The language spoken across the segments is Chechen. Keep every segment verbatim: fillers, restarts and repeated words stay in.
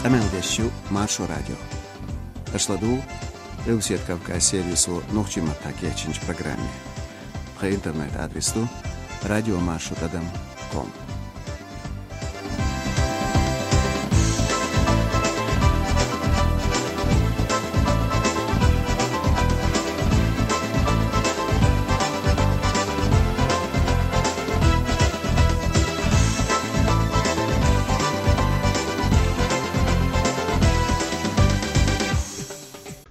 Къамел деш ю Маршо радио. Аша ладугӀу Къилбаседа Кавказ сервисо нохчийн маттахь кечйинчу программе. Тхан интернет-адрес ду радиомаршо тӀадам ком.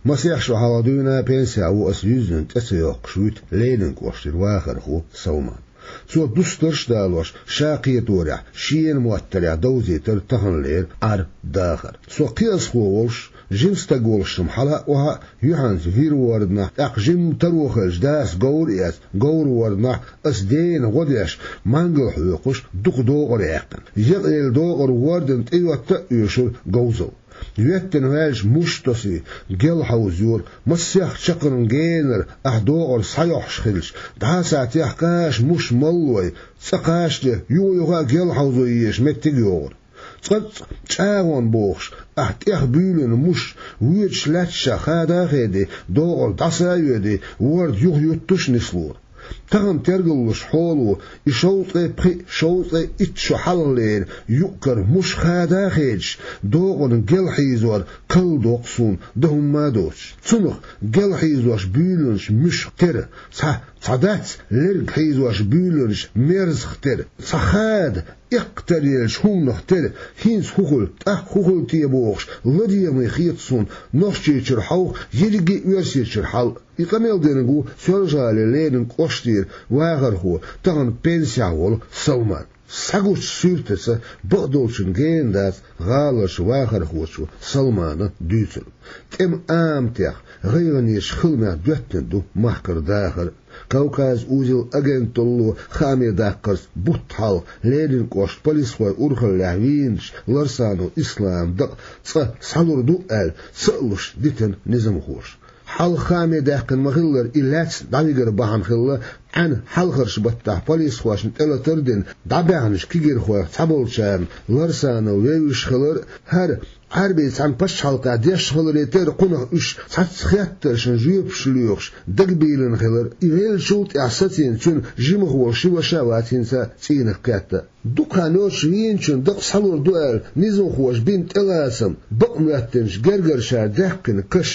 Масех шо хьалха дуьйна пенсехь ву аса юьззина тӀе ца йоккхуш вуьту Ленин кӀоштара вахархо Салман. Цо дустарш а далош, ша кхеторехь, шена моттарехь довзийтира таханлера Ӏар-дахар. Со кхиазхо волуш, жима стаг волуш-м хьала а, охьа а юьхьанца вира ворданахь, тӀаккха жимма таро хилча дас говр а эцна, говр ворданахь ас дена гӀо деш, мангал хьоькхуш, дукха докъар яьккхина. Екъаелла докъар вордана тӀейотта а оьшура говзалла. Веттина ваьлча муш тосий, гел хьовзайора, массех чаккхарма генара ахь докъар схьайохьуш хилча, дӀа а схьатехкаш муш маллой, цӀа кхачале, юха-юха а гел хьовзо езаш меттиг а йогӀура. ЦӀа-цӀа чӀагӀонна бохуш, ахь тӀех буьйлина муш, воьдуш лаьтташ хада а хедий, докъар дӀаса а йоьдий, ворда юха юттуш а нислора. Тахана тергаллуш хьоло, и шовзткъе пхиъ, шовзткъе итт шо хьалхалера юкъ-кара муш хада а хедаш, докъана гел хьийзор калдоккху суна, дан хӀумма а доцуш. Цунах гел хьийзош буьйланаш муьшах тера, цхьа, цхьа дац лерг хьийзош буьйланаш мерзах тера, цхьа хада, эккхатаръеллачу хӀуманах тера, хӀинца хӀун хуьлу, тӀаккха хӀун хуьлу те бохуш, ладегӀаме хета суна Нохчийчуьра хьовха, ерриге а Оьрсийчуьра хьала. И къамел динарг ву Соьлжа-ГӀалин Ленин кӀоштара вахархо, тахана пенсехь волу Салман. Схьагучу суьртаца бакъдолчун гена дац гӀаларчу вахархочо Салмана дуьйцург. ТӀеман аматех, гӀайгӀанечу хиламех доьттина ду махкара дахар. Кавказ узел агенталло хааме даккхарца бутт хьалха Ленин кӀоштан полисхойн урхаллехь вийначу Ларсанов Исламан дакъа цкъа схьалур ду аьлла, ца а луш дитина низамхоша. Хьалха хааме даьккхина ма-хиллара, и лаьцна дӀавигар бахьана хилла, Ӏаьнан хьалхарчу баттахь полисхошна тӀелатар а дина, дӀабаьхначу кегийрхойх цхьаболчарна Ларсанов вевзаш хилар а, хӀара Ӏаьрбийн цхьана пачхьалкхехь деш хиларе терра, кхунах уьш цхьацца хеттаршна жоьпаш лоьхуш дагабийлина хилар, и веллачул тӀаьхьа сацийна цуьнан жимах волу ши ваша а вац хӀинца цӀийнах кхетта. Дукха хан йоццуш вийначун дакъа схьалур ду аьлла, низамхоша бина тӀелацам, бакъ моьттинчу гергарчара даьккхина каш,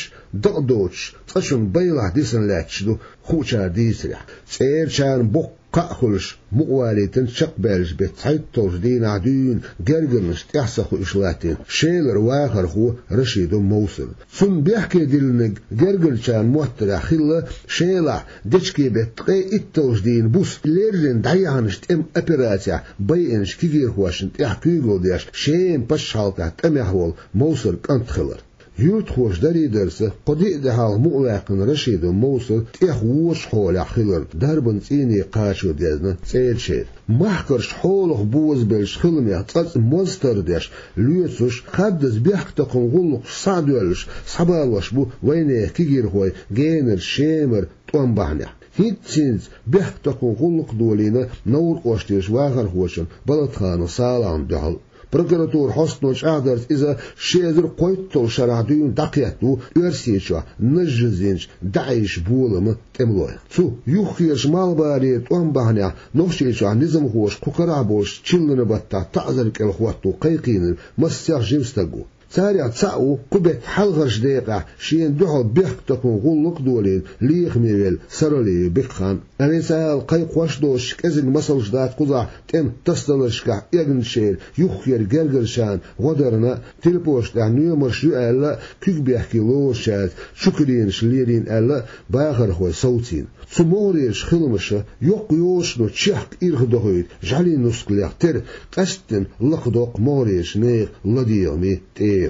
дакъа доцуш, цкъачунна байлахь дисина лаьтташ ду, хуучара дийцарехь. ЦӀерачарна боккха кхаъ хуьлуш, мукъавалийтина чекхбаьллачу беттан цхьайтталгӀачу дийнахь дуьйна гергарнаш тӀаьхьа ца хуьуш латтийна Шелара вахархо Рашидов Мовсар. Цунна бехке диллинарг гергарчарна моттарехь хилла, Шелахь дечкен беттан ткъе итталгӀачу дийнахь буса леррина дӀаяьхьначу тӀеман операцехь байинчу кегийрхошна тӀехь куьйгалла деш, Шеман пачхьалкхехь тӀамехь волу Мовсаран кӀант хилар. Юьртахоша дарийдарца, кхо-диъ де хьалха мукъаваьккхина Рашидов Мовсар тӀех вочу хьолехь хиларна, дарбан цӀийне кхачо дезна ЦӀерачеран. Махкарчу хьолах бозабеллачу хиламех цкъацкъа моз тардеш, лоьцуш, хаддаза бехктакхаман гӀуллакхаш схьа а доьллуш, схьабалош бу вайнехан кегийрхой генарчу Шемара тӀом бахьанехь. ХӀинцца-хӀинцца бехктакхаман гӀуллакх а долийна Новр кӀоштарчу вахархочун Балатханов Салахьна дуьхьал. Прокуратуран хьостано чӀагӀдарца, иза ши эзар кхойтталгӀачу шарахь дуьйна дӀакхетта ву Оьрсийчохь нажжазинчу ДАИШ боламан тӀемалойх. Цу юххерчу малхбалера тӀом бахьанехь Нохчийчохь низамхоша кху карахь болчу чиллан баттахь таӀзар кӀел хӀотто кхайкхийнарг массех жима стаг ву. Царех цхьаъ ву кху беттан хьалхарчу декъехь шена дуьхьал бехктакхаман гӀуллакх а долийна, лехаме велла Саралиев Бекхан. Официалан кхайкхош а доцуш, кӀезиг масалш дац кхузахь тӀеман тасадаларшкахь эгначеран юххеран гергарчарна гӀо дарна а, телепошна тӀехь номерш ю аьлла а, куьг бехке лоруш яц, чукаренаш лерийна аьлла а, бахархой совцийна. Цу могӀарерчу хиламаша йоккха йолчунна чехка ирх дохуьйту жӀаьлин нускалех тера, къаьсттина лакхадоккху могӀарерчу нехан ладегӀаме тӀегӀа.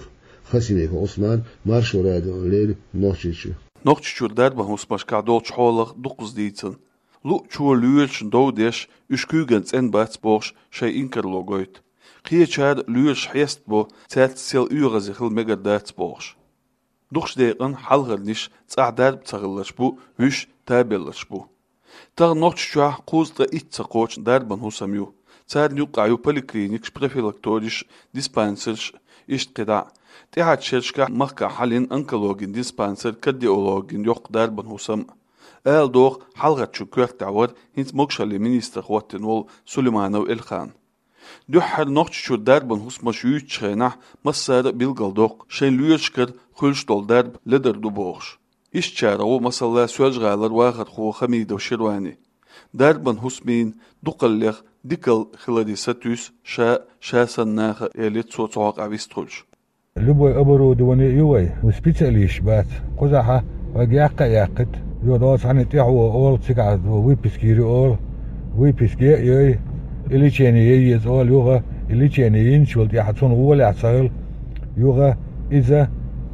Хасимиков Ӏусман, Маршо радиона леррина Нохчийчуьра. Нохчийчуьра дарбан хӀусамашкахь долчу хьолах дукхаза дийцина. Луъчо лоьрашна дов деш, уьш куьйган цӀена бац бохуш, шайн инкарло гойту. Кхечара лоьраш хьестабо, цаьрца сел оьгӀазе хила мегар дац бохуш. Дукхачу декъана хьалхарниш цӀахь дарба ца хилларш бу, вуьш табелларш бу. Тахана Нохчийчохь кхузткъе итт ца кхочун дарбан хӀусам ю. Царна юккъехь ю поликлиникаш, профилакториш, диспансерш, иштта кхидӀа а. ТӀаьхьарчу шерашкахь махкахь хьалйина онкологин диспансер, кардиологин йоккха дарбан хӀусам. Ала догӀу, хьалхарчун коьртехь вара хӀинца могушаллин министр хӀоттийна волу Сулейманов Эльхан. Дуьххьара Нохчийчуьра дарбан хӀусамаш юьйцучу хенахь массара а билгалдоккху, шайн лоьрашкара хуьлуш долу дарба ледара ду бохуш. Ишттачарах ву, масала, Соьлжа-ГӀалара вахархо Хамидов Ширвани. Дарбан хӀусамийн дукхаллех дикалла хиларе сатуьйсу ша, ша санна наха, элира цо цу хьокъехь вистхуьлуш. Любой оборудование ю вай, вай специалисташ бац. Кхузахь вайга яккха а яккхийта, йо, доцу хьаний тӀехь ву олу, цигахь ву выписка йийр ю олу, выписка е а йой, и лечение е еза олу юха, и лечение йинчул тӀаьхьа цунна гӀолехь ца хуьлу юха иза,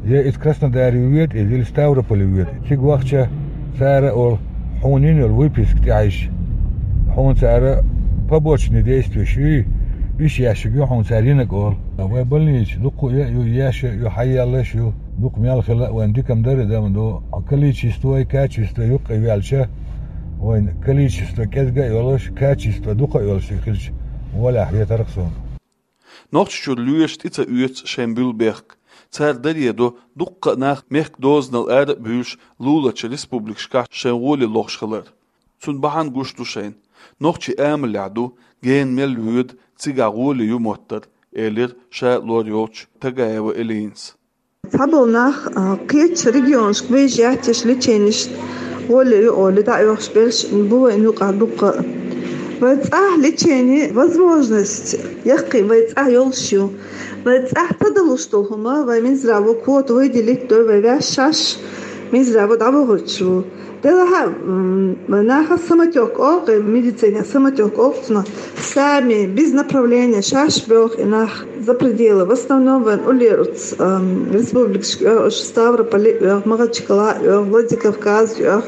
я иза Краснодаре воьду иза, или Ставрополе воьду. Цига вахча цара олу, хьуна йина йолу выписка тӀехь йиш, хьуна цара побочные действия ю, уьш еш ю хьуна цара йинарг олу. Вай больница дуккха а ю, еш а ю, хьаеллаш а ю, дукха мел хила а вайн дика-м дара, дама ду. Количество и качество юккъе ваьлча, вайн количество кӀезга а йолуш, качество дукха а йолуш хилча, гӀолехь хетарх суна. Нохчийчуьра лоьраш тӀе ца оьцу шайн буьллу бехк. Цара даре до дуккха а нах мехкан дозанал ара а буьйлуш луларчу республикашкахь шайн гӀоле лохуш хилар. Цунна бахьана гуш ду шайна. Нохчийн амалехь ду, гена мел воьду, цигахь гӀоле ю моттар, элира ша лор йолчу Тагаева Элинас. Цхьаболу нах, а, кхечу регионашка выезжать еш, леченеш гӀоле ю олий, дӀа а оьхуш берш бу вайн юкъахь дуккха а. Вай цӀахь лечение, возможность яккхий вай цӀахь йолуш ю. Вай цӀахь ца далуш долу хӀума, вай Минздраво квота выделить дой, вай ваьш шаьш Минздраво дӀавахарчаш ву. Делахь а, м, нахах самотёк олу, медицинехь самотёк олу цунах, сами, без направления, шаьш боьлху и нах за пределы. В основном вайн уллера оцу, м, республикашка оьху, Ставрополе оьху, Махачкала оьху, Владикавказ оьху,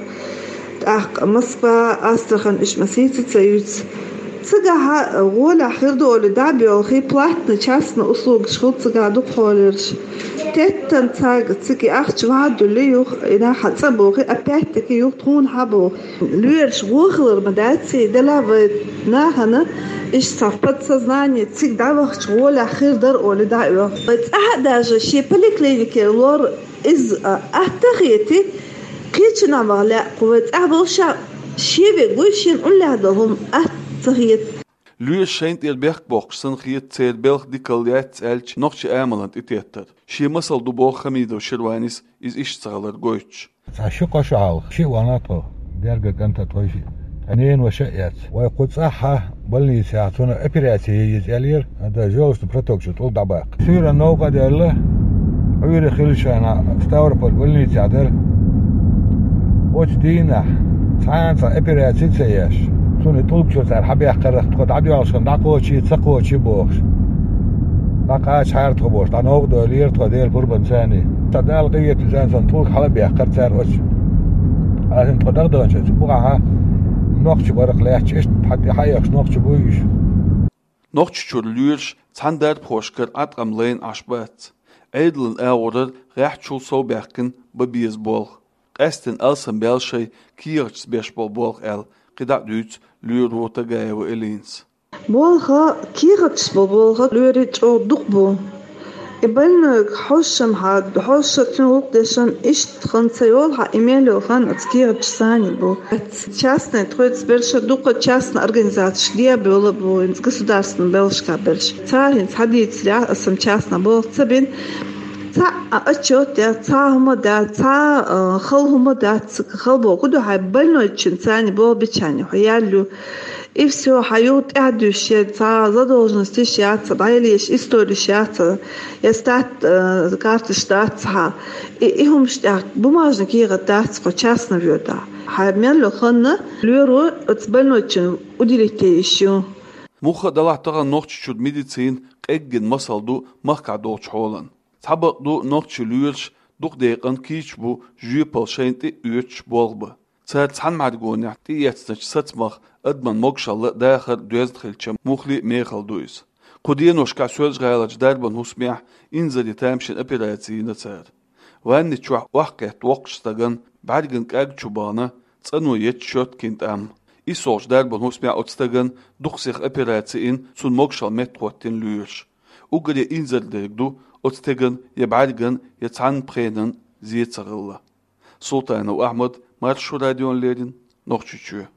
тӀаккха Москва, Астрахань, уьш ма сийца ца юьйцу. Цигахь гӀолехь хир ду олий дӀа а боьлхий, платный, частный услугаш хуьлу цигахь дукхахьолерш. Теттан цаьрга цига ахча ван а дуьллий юха, и нах цӀа а бохий, опять-таки юха тхуна хьа боху. Лоьраш вон хилар ма дац и, делахь вай нахана иштта цхьа подсознание цига дӀавахча гӀолехь хир дара олий дӀа а оьху. Вай цӀахь а даже шен поликлиникера лор иза, а, атта а хетий, кхечанхьа ваха лаьа кху вай цӀахь болуш а, шен вега вуй, шена уллехь долу хӀума атта ца хета. Лоьраш шайна тӀера бехк боккхуш санна хета, церан белхан дикалла яц аьлча, нохчийн амалан тӀететтар. Шен масал ду боху Хамидов Ширванис, иза иштта ца хилар гойтуш. Цхьа ши-кхо шо хьалха, шиъ вахана тхо, герга кӀант а тхо, шиъ. Ткъа ненан ваша а эцна. Вай кху цӀахь больницехь цунна операци е еза аьллера, ада желчный проток чу тӀулг дӀабаккха. Суьйранна новкъа а даьлла, Ӏуьйре хилла шайна Ставрополь больницехь дара. Оцу дийнахь цхьана цхьа операци а ца еш, цунна и тӀулг чуьра цара хьабаьккхарах, тхо дӀадоьлхуш хилла дӀакхочий, ца кхочий бохуш. ДӀакхачахьара тхо бохуш, дӀа новкъа дойлера тхо, Делан пурбанца. Сан Дала къинхетам бина, сан тӀулг хьала а баьккхира цара оцу. Аса тхо дагадаханчу оцу бухахьа нохчий барах лаьтташ, иштта хьан тӀе хьаэхаш нохчий буй уьш. Нохчийчуьра лоьраш цхьана дарбанхошкара Ӏаткъам лайна Ӏаш бац. Ӏедалан агӀорара гӀеххьачул сов баьккхина бан беза болх. Къаьсттина алсамбаьлла шайн кехаташца беш болу болх аьлла, кхидӀа а дуьйцу лоьро Тагаева Элинас. Болх, кехаташца болу болх лоьрийн чӀогӀа дукха бу. И больнойга хьожуш-м хьан, хьожуш а, цуьнан гӀуллакх деш-м, иштта хан ца йолу хьан, и мел йолу хан оцу кехаташца бу. Частный тхоьца берш а дукха, частный организацеш де а, бола а бу, хӀинца государственный белшка берш. Цара хӀинца хьан дийцарехь, аса-м частный болх ца бина. Цхьа а отчет яц, цхьа а хӀума дац, цхьа а, а, хала хӀума дац, хала боху ду хьайн больнойчун царна болх бичхьана хьо яьлла ю. И всё, хьан юха тӀаьхьа дуьсуш я цхьа задолженностьш яц, дӀаялийша историш яц, я стат, э, карташ дац хьан. И, и хӀумаш тӀехь бумажный кехат дац хьо частный воьдахь. Хьан мел йолу хан лоьро оцу больнойчун уделить йиш ю. Муха а делахь, тахана Нохчийчуьра медицина къеггина масал ду махкахь долчу хьолан. Цхьа бакъ ду, нохчийн лоьраш дукха декъана кийча бу жоьпалла шайна тӀе а оьцуш болх бан. Цара цхьана мӀаьргонехь тӀеэцначу сацамах адаман могушалла а, дахар а доьзна хилча, муххале а мехала ду иза. Кху деношкахь Соьлжа-ГӀаларчу дарбан хӀусамехь инзаре тамашийна операци йина цара. Ванни чохь охьакхетта воккхачу стагана бӀаьрган кӀаг чу бахана, цӀано етташ щёткин тӀам. ИссолгӀачу дарбан хӀусамехь оцу стагана дукха сиха операци йина, цунна могушалла меттахӀоттийна лоьраша. Уггаре инзаре дерг ду оцу стеган я бӀаьрган, я цхьана пхенан зе ца хилла. Султанов Ахьмад, Маршо радиона леррина, Нохчийчоь.